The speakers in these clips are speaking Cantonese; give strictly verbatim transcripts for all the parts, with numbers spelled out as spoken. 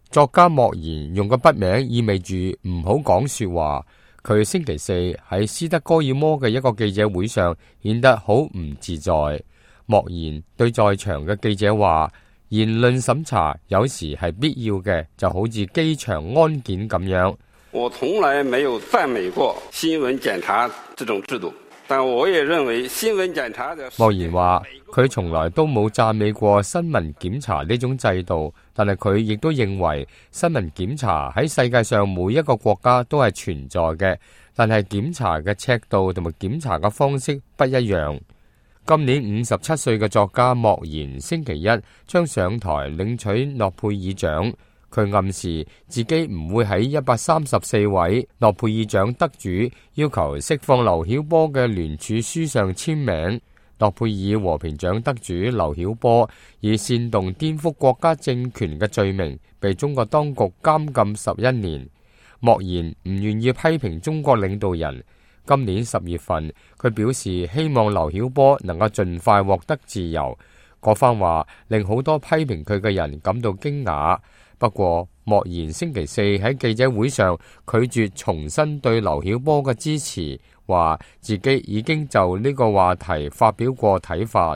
作家莫言用個筆名意味住唔好講說話。佢星期四喺斯德哥爾摩嘅一個記者會上顯得好唔自在。莫言對在場嘅記者話：言論審查有時係必要嘅，就好似機場安檢咁樣。我從來沒有讚美過新聞檢查這種制度，但我也認為新聞檢查的。莫言話佢從來都冇讚美過新聞檢查呢種制度，但係佢亦都認為新聞檢查喺世界上每一個國家都係存在嘅，但係檢查嘅尺度同埋檢查嘅方式不一樣。今年五十七歲嘅作家莫言星期一將上台領取諾貝爾獎，佢暗示自己唔會喺一百三十四位諾貝爾獎得主要求釋放劉曉波嘅聯署書上簽名。諾貝爾和平獎得主劉曉波以煽動顛覆國家政權嘅罪名被中國當局監禁十一年。莫言唔願意批評中國領導人。今年十月份，佢表示希望劉曉波能夠盡快獲得自由。嗰番話令好多批評佢嘅人感到驚訝。不過，莫言星期四喺記者會上拒絕重申對劉曉波嘅支持，話自己已經就呢個話題發表過睇法。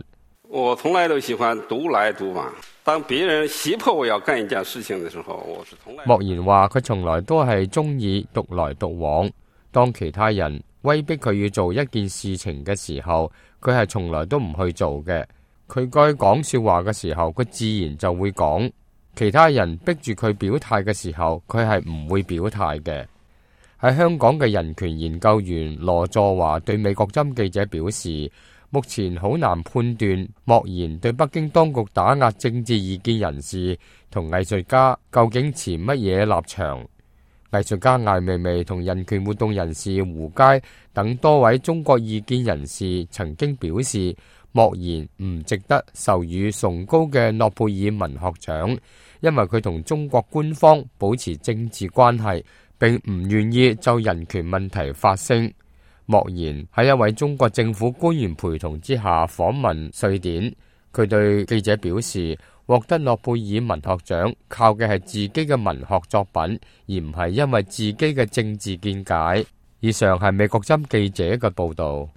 我從來都喜歡獨來獨往。當別人脅迫我要幹一件事情嘅時候，我是從來。莫言話佢從來都係中意獨來獨往。當其他人威逼佢要做一件事情嘅時候，佢係從來都唔去做嘅。佢該講說話嘅時候，佢自然就會講。其他人逼住佢表態嘅時候，佢係唔會表態嘅。喺香港嘅人權研究員羅佐華對美國針記者表示，目前好難判斷莫言對北京當局打壓政治異見人士同藝術家究竟持乜嘢立場。藝術家艾未未同人權活動人士胡佳等多位中國異見人士曾經表示，莫言唔值得授予崇高嘅諾貝爾文學獎，因為佢同中國官方保持政治關係，並唔願意就人權問題發聲。莫言喺一位中國政府官員陪同之下訪問瑞典，佢對記者表示，獲得諾貝爾文學獎靠嘅係自己嘅文學作品，而唔係因為自己嘅政治見解。以上係美國針記者嘅報道。